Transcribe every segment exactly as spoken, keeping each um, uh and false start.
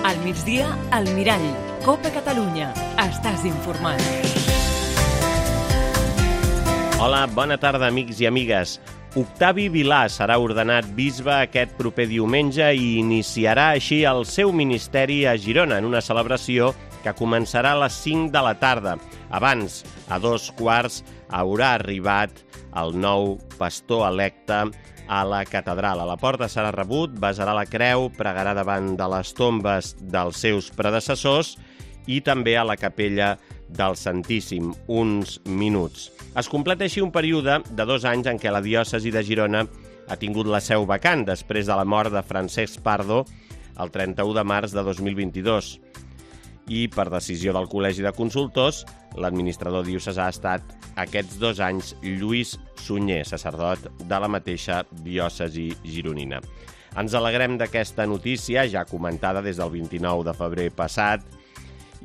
Al migdia, al Mirall. Copa Catalunya. Estàs informat. Hola, bona tarda, amics i amigues. Octavi Vilà serà ordenat bisbe aquest proper diumenge i iniciarà així el seu ministeri a Girona en una celebració que començarà a les cinc de la tarda. Abans, a dos quarts, haurà arribat el nou pastor electe a la catedral. A la porta serà rebut, besarà la creu, pregarà davant de les tombes dels seus predecessors i també a la capella del Santíssim, uns minuts. Es completa així un període de dos anys en què la diòcesi de Girona ha tingut la seu vacant després de la mort de Francesc Pardo el trenta-u de març de dos mil vint-i-dos. I per decisió del Col·legi de Consultors, l'administrador diocesà ha estat aquests dos anys Lluís Sunyer, sacerdot de la mateixa diòcesi gironina. Ens alegrem d'aquesta notícia, ja comentada des del vint-i-nou de febrer passat,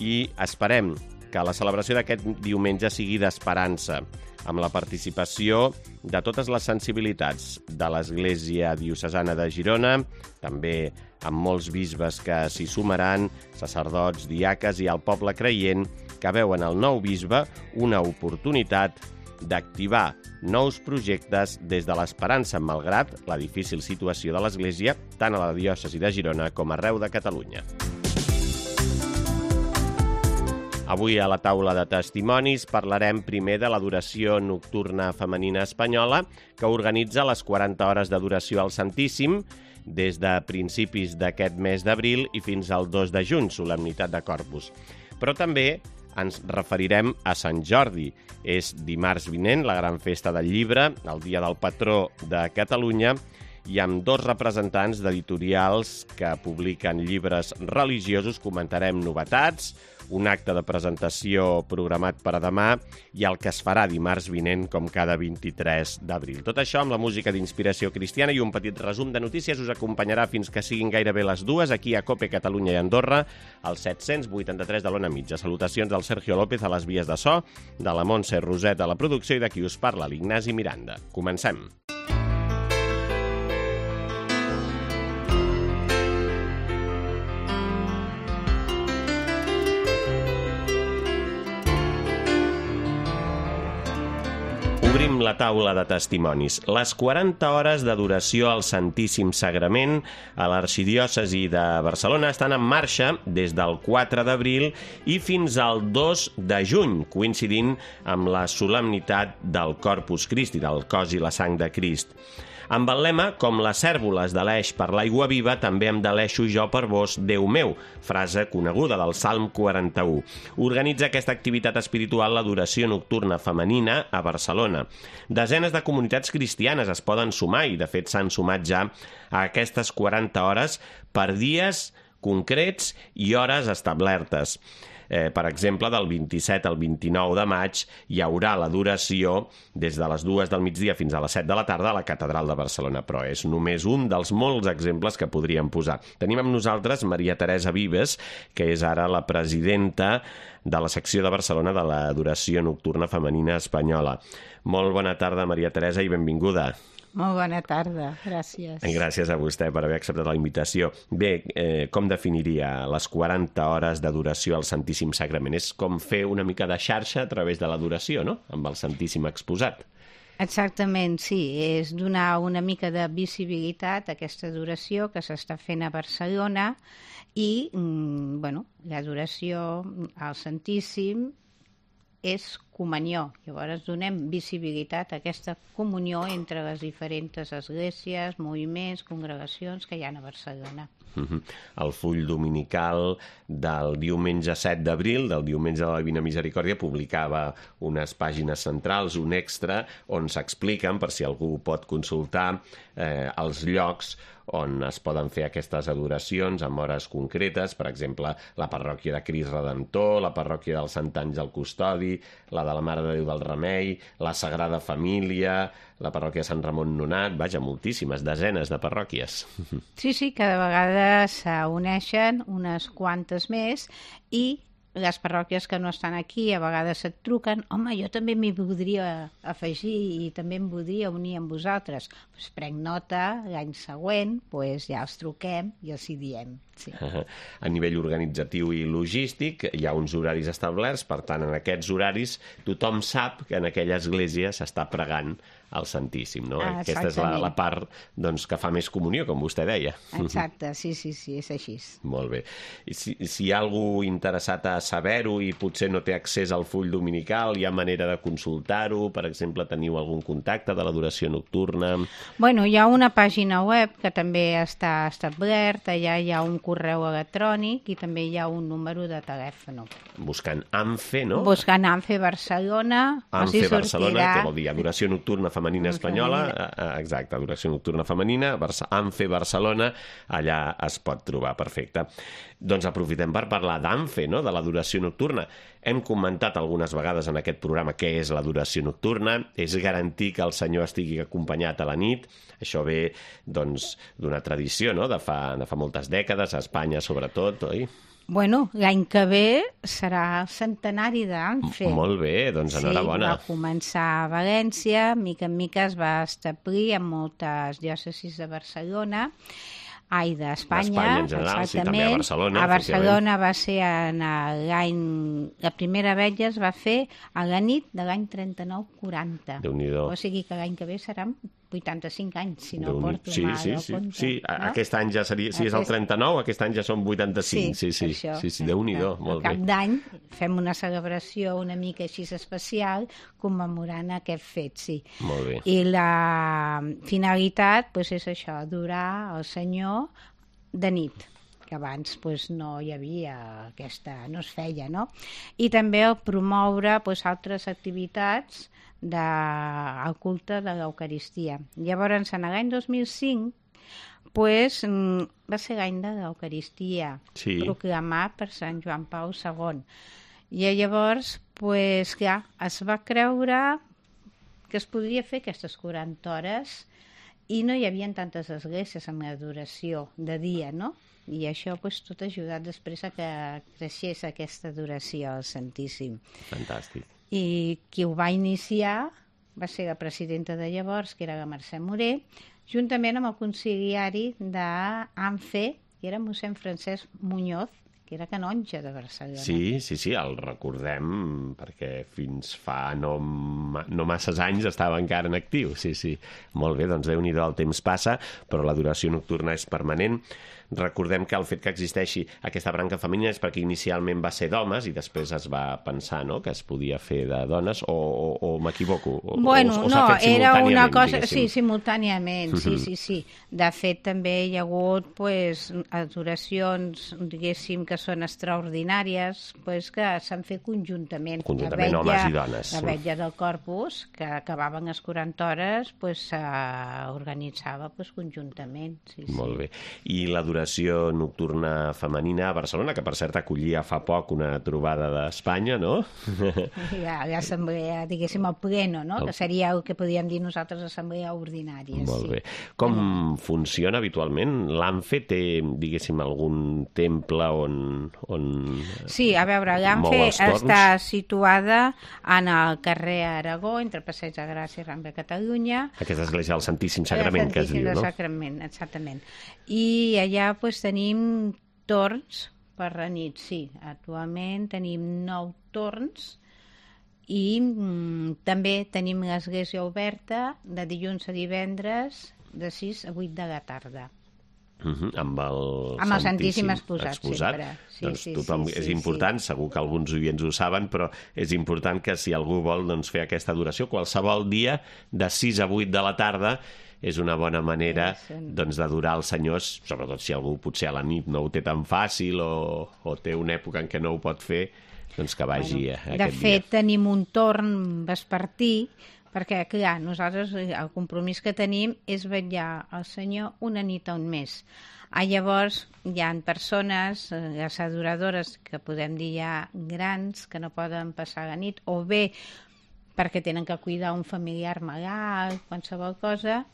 i esperem que la celebració d'aquest diumenge sigui d'esperança, amb la participació de totes les sensibilitats de l'Església Diocesana de Girona, també amb molts bisbes que s'hi sumaran, sacerdots, diaques i el poble creient, que veuen el nou bisbe una oportunitat d'activar nous projectes des de l'esperança, malgrat la difícil situació de l'Església, tant a la diòcesi de Girona com arreu de Catalunya. Avui a la taula de testimonis parlarem primer de l'adoració nocturna femenina espanyola que organitza les quaranta hores d'adoració al Santíssim des de principis d'aquest mes d'abril i fins al dos de juny, solemnitat de Corpus. Però també ens referirem a Sant Jordi. És dimarts vinent, la gran festa del llibre, el dia del patró de Catalunya, i amb dos representants d'editorials que publiquen llibres religiosos comentarem novetats, un acte de presentació programat per a demà i el que es farà dimarts vinent com cada vint-i-tres d'abril. Tot això amb la música d'inspiració cristiana i un petit resum de notícies us acompanyarà fins que siguin gairebé les dues aquí a Cope Catalunya i Andorra, al set-cents vuitanta-tres de l'Ona Mitja. Salutacions del Sergio López a les vies de so, de la Montse Roset a la producció i de qui us parla, l'Ignasi Miranda. Comencem. Obrim la taula de testimonis. Les quaranta hores d'adoració al Santíssim Sagrament a l'Arxidiòcesi de Barcelona estan en marxa des del quatre d'abril i fins al dos de juny, coincidint amb la solemnitat del Corpus Christi, del cos i la sang de Crist. Amb el lema, com les cèrvoles de l'Eix per l'aigua viva, també em deleixo jo per vos, Déu meu, frase coneguda del Salm quaranta-u. Organitza aquesta activitat espiritual l'adoració nocturna femenina a Barcelona. Desenes de comunitats cristianes es poden sumar i, de fet, s'han sumat ja a aquestes quaranta hores per dies concrets i hores establertes. Eh, per exemple, del vint-i-set al vint-i-nou de maig hi haurà l'adoració des de les dues del migdia fins a les set de la tarda a la Catedral de Barcelona, però és només un dels molts exemples que podríem posar. Tenim amb nosaltres Maria Teresa Vives, que és ara la presidenta de la secció de Barcelona de l'adoració nocturna femenina espanyola. Molt bona tarda, Maria Teresa, i benvinguda. Molt bona tarda, gràcies. Gràcies a vostè per haver acceptat la invitació. Bé, eh, com definiria les quaranta hores d'adoració al Santíssim Sagrament? És com fer una mica de xarxa a través de l'adoració, no?, amb el Santíssim exposat. Exactament, sí. És donar una mica de visibilitat a aquesta adoració que s'està fent a Barcelona i, mm, bueno, l'adoració al Santíssim és comunió. Llavors donem visibilitat a aquesta comunió entre les diferents esglésies, moviments, congregacions que hi ha a Barcelona. Uh-huh. El full dominical del diumenge set d'abril, del diumenge de la Divina Misericòrdia, publicava unes pàgines centrals, un extra, on s'expliquen, per si algú pot consultar, eh, els llocs on es poden fer aquestes adoracions amb hores concretes, per exemple, la parròquia de Crist Redentor, la parròquia del Sant Àngel Custodi, la de la Mare de Déu del Remei, la Sagrada Família, la parròquia de Sant Ramon Nonat, vaja, moltíssimes, desenes de parròquies. Sí, sí, cada vegada s'uneixen unes quantes més i les parròquies que no estan aquí a vegades et truquen, home, jo també m'hi voldria afegir i també em voldria unir amb vosaltres. Pues prenc nota, l'any següent pues ja els truquem i els hi diem. Sí. A nivell organitzatiu i logístic hi ha uns horaris establerts, per tant, en aquests horaris tothom sap que en aquella església s'està pregant al Santíssim, no? Ah, aquesta és la, la part doncs, que fa més comunió, com vostè deia. Exacte, sí, sí, sí, és així. Molt bé. I si, si hi ha algú interessat a saber-ho i potser no té accés al full dominical, hi ha manera de consultar-ho? Per exemple, teniu algun contacte de l'adoració nocturna? Bueno, hi ha una pàgina web que també està establerta, allà hi ha un correu electrònic i també hi ha un número de telèfon. Buscant ANFE, no? Buscant ANFE Barcelona. ANFE Barcelona, que vol dir Adoració Nocturna Femenina Espanyola. Exacte, Adoració Nocturna Femenina, ANFE Barcelona, allà es pot trobar, perfecte. Doncs aprofitem per parlar d'ANFE, no? De l'adoració nocturna. Hem comentat algunes vegades en aquest programa què és l'adoració nocturna. És garantir que el Senyor estigui acompanyat a la nit. Això ve doncs, d'una tradició, no? de, fa, de fa moltes dècades, a Espanya sobretot, oi? Bueno, l'any que ve serà el centenari d'ANFE. Molt bé, doncs enhorabona. Sí, va començar a València, mica en mica es va establir en moltes diòcesis de Barcelona, ai, d'Espanya, d'Espanya en general, sí, també a Barcelona. A Barcelona va ser en l'any... La primera vetlla es va fer a la nit de l'any trenta-nou quaranta. Déu-n'hi-do. O sigui que l'any que ve seran vuitanta-cinc anys, si no porto sí, mal sí, el sí, compte. sí, no? aquest any ja seria, si és el trenta-nou, aquest any ja són vuitanta-cinc, sí, sí, sí, sí, sí, Déu-n'hi-do, molt bé. Al cap d'any fem una celebració una mica així especial commemorant aquest fet, sí. Molt bé. I la finalitat pues, és això, adorar el Senyor de nit, que abans pues, no hi havia aquesta, no es feia, no? I també el promoure pues, altres activitats del culte de l'Eucaristia. Llavors, en l'any dos mil cinc, pues, va ser l'any de l'Eucaristia, sí. proclamat per Sant Joan Pau segon. I llavors, pues, clar, es va creure que es podria fer aquestes quaranta hores i no hi havia tantes esglésies amb l'adoració de dia, no? I això pues, tot ha ajudat després a que creixés aquesta adoració al Santíssim. Fantàstic. I qui ho va iniciar va ser la presidenta de llavors, que era la Mercè Moré, juntament amb el conciliari d'ANFE, que era mossèn Francesc Muñoz, que era canonge de Barcelona. Sí, sí, sí, el recordem, perquè fins fa no, no masses anys estava encara en actiu, sí, sí. Molt bé, doncs Déu-n'hi-do, el temps passa, però l'adoració nocturna és permanent. Recordem que el fet que existeixi aquesta branca femenina és perquè inicialment va ser d'homes i després es va pensar, no?, que es podia fer de dones, o, o, o m'equivoco? O, bueno, o, o no, era una cosa... diguéssim. Sí, simultàniament, sí, sí, sí. De fet, també hi ha hagut pues, adoracions, diguéssim, que són extraordinàries, pues, que s'han fet conjuntament. Conjuntament, vetlla, homes i dones. La vetlla del Corpus, que acabaven les quaranta hores, pues, s'organitzava pues, conjuntament. Sí, Molt sí. bé. I l'adoració nocturna femenina a Barcelona, que per cert acollia fa poc una trobada d'Espanya, no? L'assemblea, diguéssim, el pleno, no? El... que seria el que podíem dir nosaltres assemblea ordinària. Molt sí. bé. Com mm. funciona habitualment? L'ANFE té, diguéssim, algun temple on... on sí, a veure, l'ANFE està situada en el carrer Aragó, entre Passeig de Gràcia i Rambla de Catalunya. Aquesta església del Santíssim Sagrament, que es diu, no? El Santíssim Sagrament, exactament. I allà pues, tenim torns per la nit, sí. Actualment tenim nou torns i mm, també tenim l'església oberta de dilluns a divendres de sis a vuit de la tarda. Uh -huh, amb el, amb el Santíssim, Santíssim exposat, exposat. sempre. Sí, doncs sí, tothom, sí, és sí, important, sí. Segur que alguns oients ho saben, però és important que si algú vol doncs, fer aquesta adoració, qualsevol dia de sis a vuit de la tarda és una bona manera doncs, d'adorar els senyors, sobretot si algú potser a la nit no ho té tan fàcil o, o té una època en què no ho pot fer, doncs que vagi bueno, a, a de aquest fet, dia. tenim un torn vespertí, perquè, clar, nosaltres el compromís que tenim és vetllar al Senyor una nit a un mes. Ah, llavors, hi ha persones, les adoradores, que podem dir ja grans, que no poden passar la nit, o bé perquè tenen que cuidar un familiar malalt, qualsevol cosa,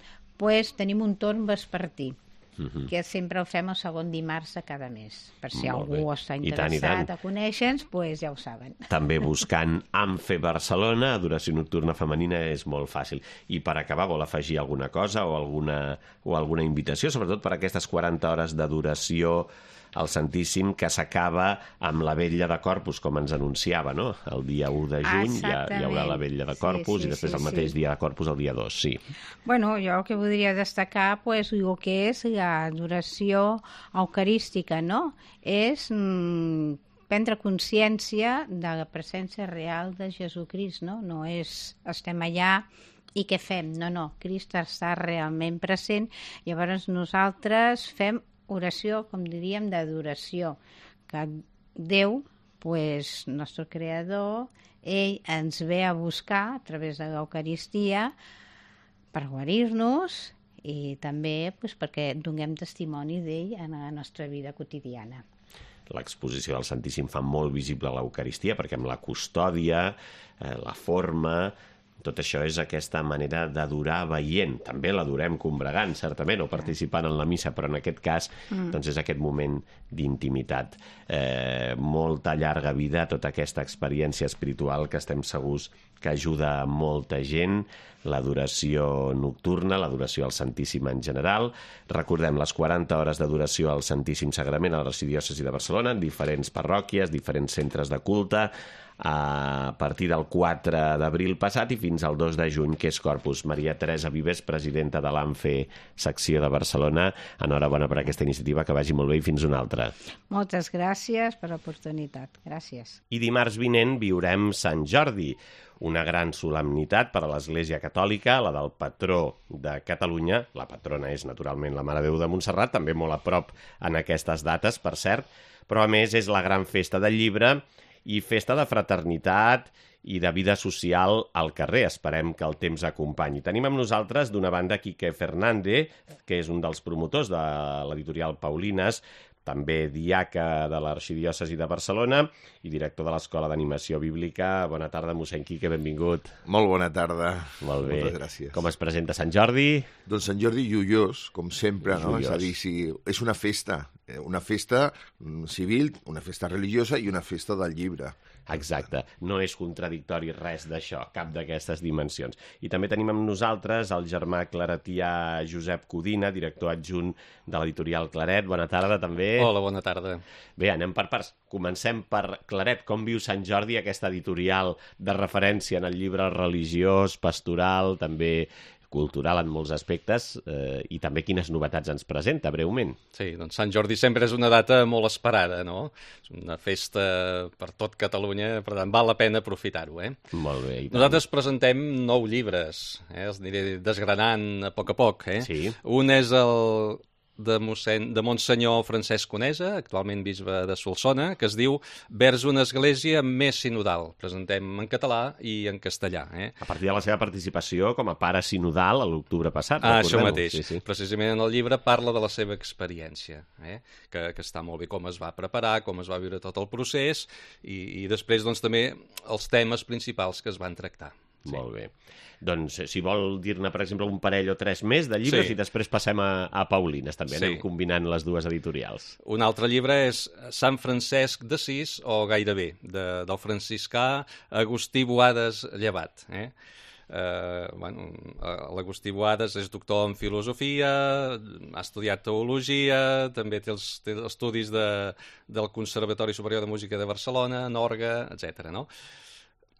pues, tenim un torn vespertí. uh-huh. que sempre ho fem el segon dimarts de cada mes. Per si Molt algú bé. està I tant, i interessat tant. a conèixer-nos, doncs ja ho saben. També buscant Amfe Barcelona, adoració nocturna femenina, és molt fàcil. I per acabar, vol afegir alguna cosa o alguna, o alguna invitació, sobretot per aquestes quaranta hores d'adoració al Santíssim, que s'acaba amb la vetlla de Corpus, com ens anunciava, no? El dia u de juny ja hi haurà la vetlla de Corpus, sí, sí, i després sí, el mateix sí. dia de Corpus el dia dos, sí. Bueno, jo el que voldria destacar pues, el que és l'adoració eucarística, no? És mm, prendre consciència de la presència real de Jesucrist, no? No és estem allà i què fem? No, no, Crist està realment present, llavors nosaltres fem oració, com diríem, d'adoració, que Déu, pues, nostre creador, ell ens ve a buscar a través de l'Eucaristia per guarir-nos i també pues, perquè donem testimoni d'ell en la nostra vida quotidiana. L'exposició del Santíssim fa molt visible l'Eucaristia, perquè amb la custòdia, eh, la forma... Tot això és aquesta manera d'adorar veient. També l'adorem combregant, certament, o participant en la missa, però en aquest cas mm. doncs és aquest moment d'intimitat. Eh, molta llarga vida, tota aquesta experiència espiritual que estem segurs que ajuda a molta gent, l'adoració nocturna, l'adoració al Santíssim en general. Recordem les quaranta hores d'adoració al Santíssim Sagrament a l'Arxidiòcesi de Barcelona, en diferents parròquies, diferents centres de culte, a partir del quatre d'abril passat i fins al dos de juny, que és Corpus. Maria Teresa Vives, presidenta de l'Amfe secció de Barcelona, enhorabona per aquesta iniciativa, que vagi molt bé i fins una altra. Moltes gràcies per l'oportunitat. Gràcies. I dimarts vinent viurem Sant Jordi, una gran solemnitat per a l'Església Catòlica, la del patró de Catalunya. La patrona és, naturalment, la Mare de Déu de Montserrat, també molt a prop en aquestes dates, per cert, però a més és la gran festa del llibre i festa de fraternitat i de vida social al carrer. Esperem que el temps acompanyi. Tenim amb nosaltres, d'una banda, Quique Fernández, que és un dels promotors de l'editorial Paulines, també diaca de l'Arxidiòcesi de Barcelona i director de l'Escola d'Animació Bíblica. Bona tarda, mossèn Quique, benvingut. Molt bona tarda. Molt bé. Moltes gràcies. Com es presenta Sant Jordi? Doncs Sant Jordi joiós, com sempre, no? Joiós. És a dir, si és una festa, una festa civil, una festa religiosa i una festa del llibre. Exacte, no és contradictori res d'això, cap d'aquestes dimensions. I també tenim amb nosaltres el germà claretià Josep Codina, director adjunt de l'editorial Claret. Bona tarda, també. Hola, bona tarda. Bé, anem per parts. Comencem per Claret. Com viu Sant Jordi, aquesta editorial de referència en el llibre religiós, pastoral, també cultural en molts aspectes, eh, i també quines novetats ens presenta, breument. Sí, doncs Sant Jordi sempre és una data molt esperada, no? És una festa per tot Catalunya, per tant, val la pena aprofitar-ho, eh? Molt bé. I tant. Nosaltres presentem nou llibres, eh? Els aniré desgranant a poc a poc, eh? Sí. Un és el de, mossèn, de Monsenyor Francesc Conesa, actualment bisbe de Solsona, que es diu Vers una església més sinodal. Presentem en català i en castellà. Eh? A partir de la seva participació com a pare sinodal a l'octubre passat. Ah, això mateix. Sí, sí. Precisament en el llibre parla de la seva experiència, eh? que, que està molt bé com es va preparar, com es va viure tot el procés i, i després doncs, també els temes principals que es van tractar. Sí. Molt bé. Doncs, si vol dir-ne, per exemple, un parell o tres més de llibres, sí. I després passem a, a Paulines, també. Sí. Anem combinant les dues editorials. Un altre llibre és Sant Francesc d'Assís, o gairebé, de, del franciscà Agustí Boades Llevat. Eh? Uh, bueno, l'Agustí Boades és doctor en filosofia, ha estudiat teologia, també té els té estudis de, del Conservatori Superior de Música de Barcelona, Norga, etcètera, no?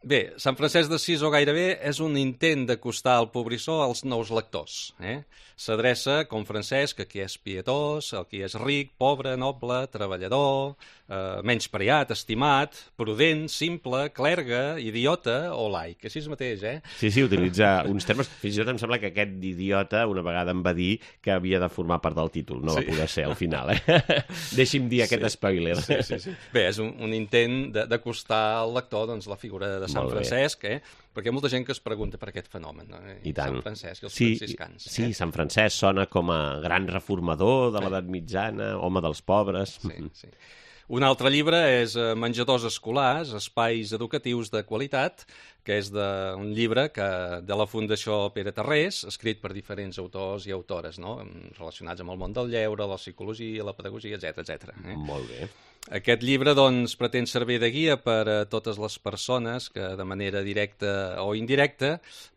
Bé, Sant Francesc d'Assís o gairebé és un intent d'acostar el pobrissó als nous lectors. Eh? S'adreça, com Francesc, a qui és pietós, a qui és ric, pobre, noble, treballador, eh, menyspreat, estimat, prudent, simple, clergue, idiota o laic. Així mateix, eh? Sí, sí, utilitza uns termes. Fins i tot em sembla que aquest idiota una vegada em va dir que havia de formar part del títol. No sí. Va poder ser al final, eh? Deixi'm dir aquest sí. spoiler. Sí, sí, sí. Bé, és un, un intent d'acostar al lector doncs, la figura de Sant Francesc, eh? Perquè hi ha molta gent que es pregunta per aquest fenomen, no? I tant. Sant Francesc i els sí, franciscans. Sí, eh? Sant Francesc sona com a gran reformador de l'edat mitjana, home dels pobres. Sí, sí. Un altre llibre és Menjadors escolars, espais educatius de qualitat, que és de, un llibre que, de la Fundació Pere Tarrés, escrit per diferents autors i autores, no? Relacionats amb el món del lleure, la psicologia, la pedagogia, etcètera etcètera. Eh? Molt bé. Aquest llibre doncs, pretén servir de guia per a totes les persones que de manera directa o indirecta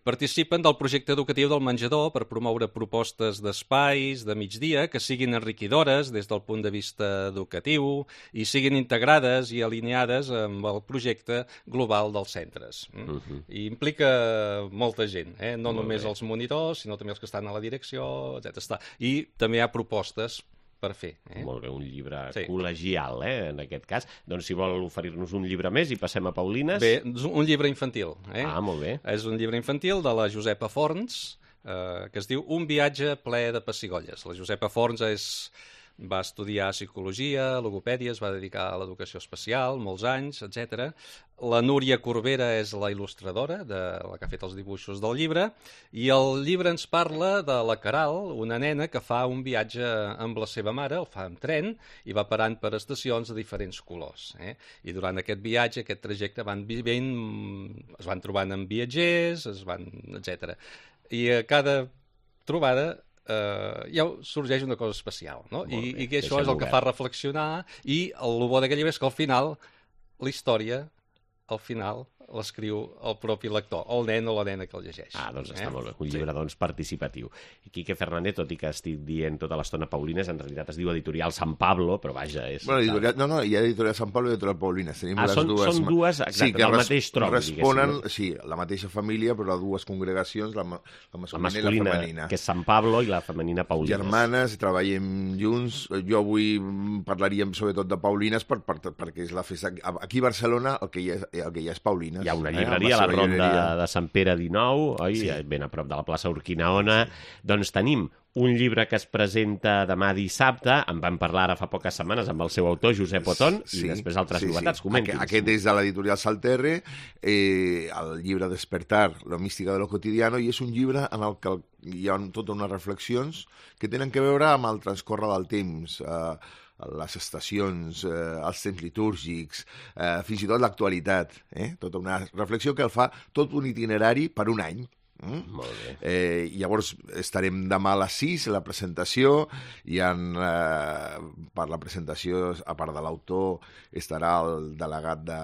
participen del projecte educatiu del menjador per promoure propostes d'espais de migdia que siguin enriquidores des del punt de vista educatiu i siguin integrades i alineades amb el projecte global dels centres. Uh -huh. I implica molta gent, eh? no Molt només bé. Els monitors, sinó també els que estan a la direcció, etcètera. I també hi ha propostes per fer. Eh? Molt bé, un llibre sí. col·legial, eh, en aquest cas. Doncs si vol oferir-nos un llibre més i passem a Paulines... Bé, un llibre infantil. Eh? Ah, molt bé. És un llibre infantil de la Josepa Forns, eh, que es diu Un viatge ple de pessigolles. La Josepa Forns és... va estudiar psicologia, logopèdia, es va dedicar a l'educació especial, molts anys, etcètera. La Núria Corbera és la il·lustradora, de la que ha fet els dibuixos del llibre, i el llibre ens parla de la Caral, una nena que fa un viatge amb la seva mare, el fa amb tren, i va parant per estacions de diferents colors. Eh? I durant aquest viatge, aquest trajecte, van vivint, es van trobant amb viatgers, es van, etcètera. I a cada trobada Uh, ja sorgeix una cosa especial, no? I, i que això és el que fa reflexionar, i el bo d'aquest llibre és que al final la història, al final l'escriu el propi lector, el nen o la nena que el llegeix. Ah, doncs està eh? molt bé. Un llibre, sí. doncs, participatiu. I Quique Fernández, tot i que estic dient tota l'estona Paulines, en realitat es diu Editorial San Pablo, però vaja, és... Bueno, editorial, no, no, hi ha Editorial San Pablo i Editorial Paulines. Tenim ah, les són, dues... són dues, exacte, sí, del res, mateix tronc, responen, diguéssim. No? Sí, la mateixa família, però dues congregacions, la, la masculina, la masculina i la femenina. Que és San Pablo, i la femenina Paulines. Germanes, treballem junts. Jo avui parlaríem sobretot de Paulines per, per, perquè és la festa... Aquí a Barcelona el que hi ha, el que hi ha és Paulines. Hi ha una llibreria, eh? La Ronda de Sant Pere dinou, oi? Sí. Ben a prop de la plaça Urquinaona. Sí. Doncs tenim un llibre que es presenta demà dissabte, en vam parlar ara fa poques setmanes amb el seu autor, Josep Otón, sí, i després altres sí, novetats. Sí. Aquest, aquest és de l'editorial Salterre, eh, el llibre Despertar, la mística de lo cotidiano, i és un llibre en el que hi ha totes unes reflexions que tenen que veure amb el transcórrer del temps, eh, les estacions, eh, els temps litúrgics, eh, fins i tot l'actualitat, eh? Tota una reflexió que el fa tot un itinerari per un any. Mm? Molt bé. Eh, llavors estarem demà a les sis, a la presentació, i en, eh, per la presentació, a part de l'autor, estarà el delegat de,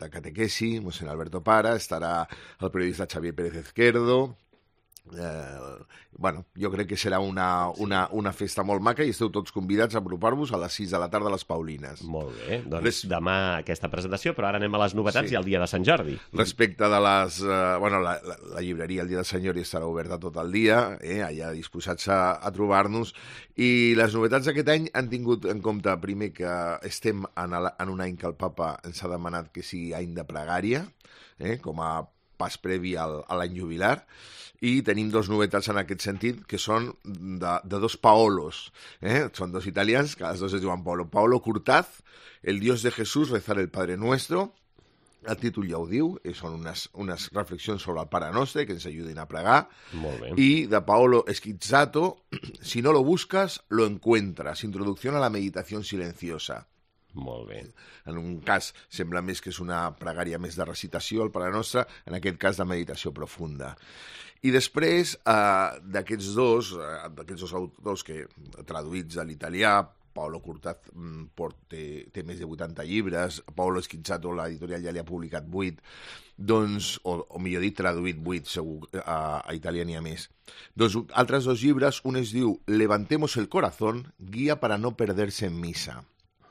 de catequesi, mossèn Alberto Para, estarà el periodista Xavier Pérez Izquierdo. Eh, bueno, jo crec que serà una, una, una festa molt maca i esteu tots convidats a apropar-vos a les sis de la tarda a les Paulines. Molt bé, doncs Res... demà aquesta presentació, però ara anem a les novetats sí. i al dia de Sant Jordi. Respecte de les... Eh, bueno, la, la, la llibreria el dia de Sant Jordi estarà oberta tot el dia, eh, allà disposats a, a trobar-nos, i les novetats d'aquest any han tingut en compte, primer, que estem en, el, en un any que el papa ens ha demanat que sigui any de pregària, eh, com a pas previ al, a l'any jubilar, i tenim dos novetats en aquest sentit, que són de, de dos Paolos. Eh? Són dos italians, que els dos es diuen Paolo. Paolo Curtaz, El Dios de Jesús, rezar el Padre Nuestro. El títol ja ho diu, són unes, unes reflexions sobre el Pare Nostre que ens ajuden a pregar. Molt bé. I de Paolo Schizzato, Si no lo buscas, lo encuentras. Introducción a la meditación silenciosa. Molt bé. En un cas sembla més que és una pregària més de recitació, el Pare Nostre, en aquest cas de meditació profunda. I després, eh, d'aquests dos, eh, d'aquests dos autors que traduïts a l'italià, Paolo Curtaz port, té, té més de vuitanta llibres, Paolo Schizzato, l'editorial ja li ha publicat vuit, doncs, o, o millor dit, traduït vuit, segur, a, a italià n'hi ha més. Doncs altres dos llibres, un es diu Levantemos el corazón, guia para no perderse en misa.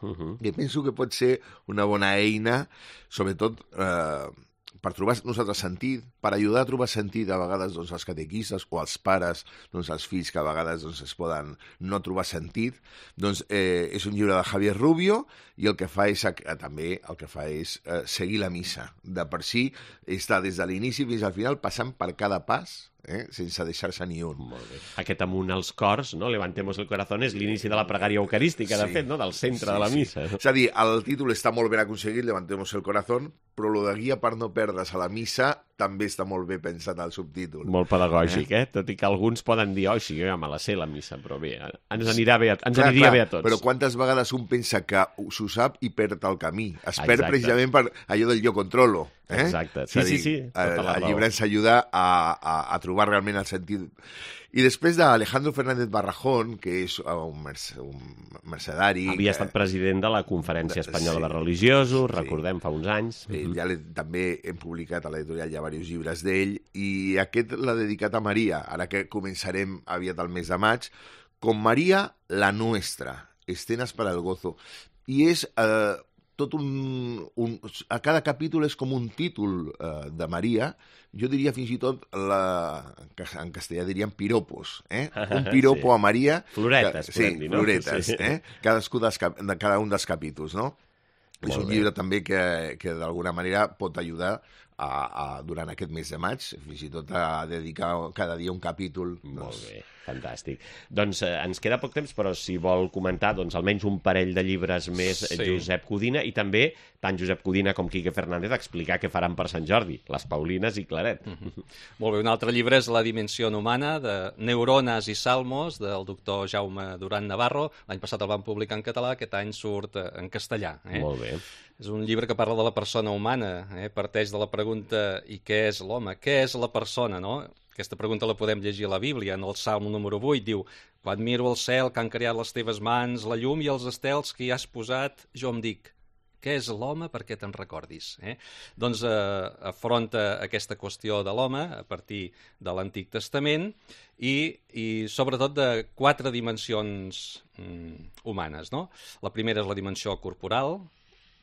Uh-huh. I penso que pot ser una bona eina, sobretot eh, per trobar nosaltres sentit, per ajudar a trobar sentit a vegades doncs, als catequistes o als pares, doncs, als fills que a vegades doncs, es poden no trobar sentit. Doncs eh, és un llibre de Javier Rubio i el que fa és, eh, també el que fa és eh, seguir la missa. De per si està des de l'inici fins al final passant per cada pas, eh, sense deixar-se ni un. Molt bé. Aquest amunt als cors, no? Levantemos el corazón, és l'inici de la pregària eucarística, sí. de fet, no? Del centre sí, de la missa. Sí. És a dir, el títol està molt ben aconseguit, Levantemos el corazón, però lo de guia per no perdre's a la missa també està molt bé pensat el subtítol. Molt pedagògic, eh? eh? Tot i que alguns poden dir, oh, sí, ja me la sé, la missa, però bé, ens, anirà bé a, ens clar, aniria clar, bé a tots. Però quantes vegades un pensa que s'ho sap i perd el camí? Es perd Exacte. precisament per allò del jo controlo. Eh? Exacte, sí, dir, sí, sí. El, el llibre ens ajuda a, a, a trobar realment el sentit. I després d'Alejandro Fernández Barrajón, que és un, merc un mercedari... Havia que... estat president de la Conferència Espanyola sí, de Religiosos, sí. recordem, fa uns anys. Sí, ja també hem publicat a l'editorial ja diversos llibres d'ell, i aquest l'ha dedicat a Maria, ara que començarem aviat el mes de maig, com Maria la Nuestra, escenes per al gozo. I és... Eh, tot un, un... A cada capítol és com un títol eh, de Maria, jo diria fins i tot, la, en castellà diríem piropos, eh? Un piropo sí. a Maria... Floretes, que, sí, dir, no? floretes, sí. eh? Cadascú dels, de cada un dels capítols, no? Molt és un bé. llibre també que, que d'alguna manera pot ajudar a, a, durant aquest mes de maig, fins i tot a dedicar cada dia un capítol. Molt doncs... bé, fantàstic. Doncs eh, ens queda poc temps, però si vol comentar doncs, almenys un parell de llibres més, sí. Josep Codina, i també tant Josep Codina com Quique Fernández explicar què faran per Sant Jordi, les Paulines i Claret. Mm-hmm. Molt bé, un altre llibre és La dimensió humana, de Neurones i Salmos, del doctor Jaume Duran Navarro. L'any passat el van publicar en català, aquest any surt en castellà. Eh? Molt bé. És un llibre que parla de la persona humana, eh? parteix de la pregunta i què és l'home? Què és la persona, no? Aquesta pregunta la podem llegir a la Bíblia, en el Salm número vuit, diu: quan miro el cel que han creat les teves mans, la llum i els estels que hi has posat, jo em dic, què és l'home perquè te'n recordis? Eh? Doncs eh, afronta aquesta qüestió de l'home a partir de l'Antic Testament i, i sobretot de quatre dimensions mm, humanes, no? La primera és la dimensió corporal,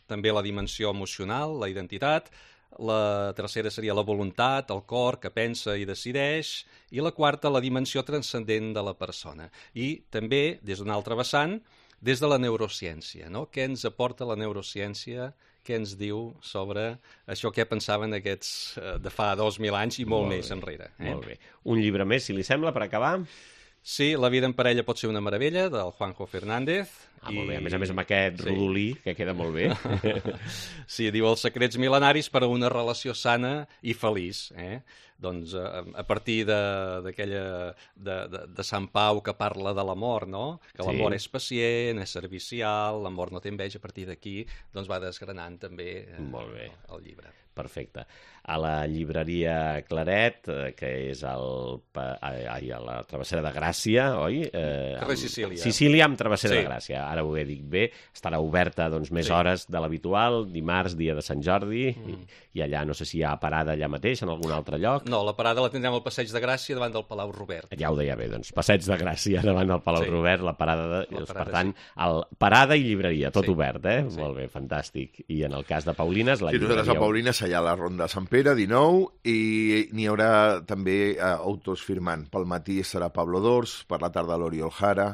també la dimensió emocional, la identitat, la tercera seria la voluntat, el cor, que pensa i decideix, i la quarta, la dimensió transcendent de la persona. I també, des d'un altre vessant, des de la neurociència, no? Què ens aporta la neurociència? Què ens diu sobre això que pensaven aquests de fa dos mil anys i molt, molt més bé. enrere. Eh? Molt bé. Un llibre més, si li sembla, per acabar? Sí, La vida en parella pot ser una meravella, del Juanjo Fernández. Ah, molt bé. A més a més amb aquest sí. rodolí, que queda molt bé. Sí, diu els secrets milenaris per a una relació sana i feliç. Eh? Doncs a, a partir d'aquella de, de, de Sant Pau que parla de l'amor, no? Que sí. l'amor és pacient, és servicial, l'amor no té enveja, a partir d'aquí doncs va desgranant també eh, molt bé. El, el llibre. Perfecte. A la llibreria Claret, eh, que és el, ai, a la Travessera de Gràcia, oi? Eh, Carrer Sicília. Sicília amb Travessera sí. de Gràcia. Ara ho he dit bé. Estarà oberta doncs, més sí. hores de l'habitual, dimarts, dia de Sant Jordi, mm. i, i allà no sé si hi ha parada allà mateix, en algun altre lloc. No, la parada la tindrem al Passeig de Gràcia davant del Palau Robert. Ja ho deia bé, doncs, Passeig de Gràcia davant del Palau sí. Robert, la parada, de, la doncs, parada per tant, sí. el, parada i llibreria, tot sí. obert, eh? Sí. Molt bé, fantàstic. I en el cas de Paulines, la sí, llibreria... Sí, a Paulines allà a la Ronda de Sant Pere, dinou, i n'hi haurà també eh, autors firmant. Pel matí estarà Pablo Dors, per la tarda l'Oriol Jara.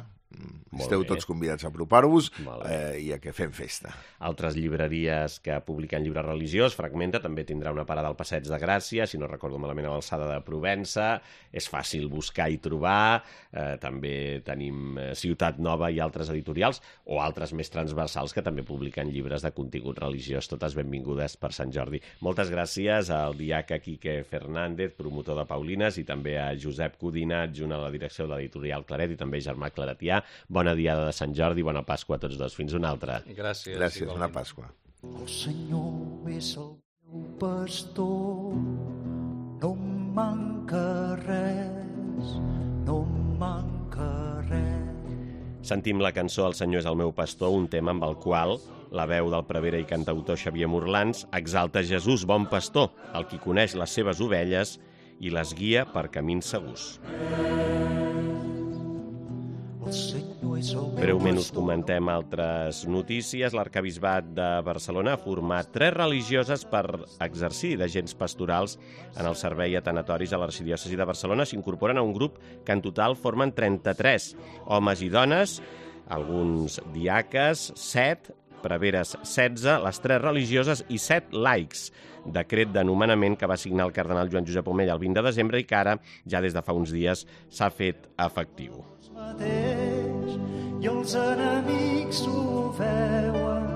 Molt Esteu bé. Tots convidats a apropar-vos eh, i a que fem festa. Altres llibreries que publiquen llibre religiós, Fragmenta, també tindrà una parada al Passeig de Gràcia, si no recordo malament a l'alçada de Provença. És fàcil buscar i trobar. Eh, també tenim Ciutat Nova i altres editorials, o altres més transversals que també publiquen llibres de contingut religiós. Totes benvingudes per Sant Jordi. Moltes gràcies al diaca Quique Fernández, promotor de Paulines, i també a Josep Codina, adjunt a la direcció de l'editorial Claret, i també Germà Claretià. Bona diada de Sant Jordi, bona Pasqua a tots dos. Fins una altra. Gràcies. Gràcies, bona Pasqua. El Senyor és el meu pastor, no em manca res, no em manca res. Sentim la cançó El Senyor és el meu pastor, un tema amb el qual la veu del prevere i cantautor Xavier Morlans exalta Jesús, bon pastor, el qui coneix les seves ovelles i les guia per camins segurs. Breument us comentem altres notícies. L'Arquebisbat de Barcelona ha format tres religioses per exercir d'agents pastorals en el servei a tanatoris a l'Arxidiòcesi de Barcelona. S'incorporen a un grup que en total formen trenta-tres homes i dones, alguns diaques, set, preveres setze, les tres religioses i set laics. Decret de nomenament que va signar el cardenal Joan Josep Omella el vint de desembre i que ara, ja des de fa uns dies, s'ha fet efectiu. I els enemics ho veuen,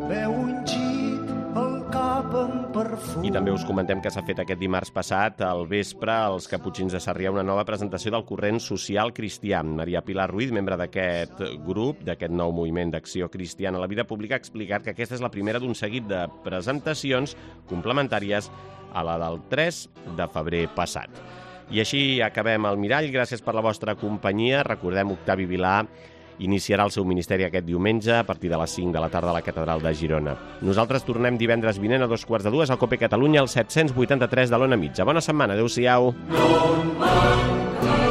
veu ungit el cap amb perfum. I també us comentem que s'ha fet aquest dimarts passat al vespre als Caputxins de Sarrià una nova presentació del corrent social cristià. Maria Pilar Ruiz, membre d'aquest grup, d'aquest nou moviment d'acció cristiana a la vida pública, ha explicat que aquesta és la primera d'un seguit de presentacions complementàries a la del tres de febrer passat. I així acabem el Mirall. Gràcies per la vostra companyia. Recordem, Octavi Vilà iniciarà el seu ministeri aquest diumenge a partir de les cinc de la tarda a la Catedral de Girona. Nosaltres tornem divendres vinent a dos quarts de dues al Cope Catalunya, al set-cents vuitanta-tres de l'Ona Mitja. Bona setmana, adeu-siau. No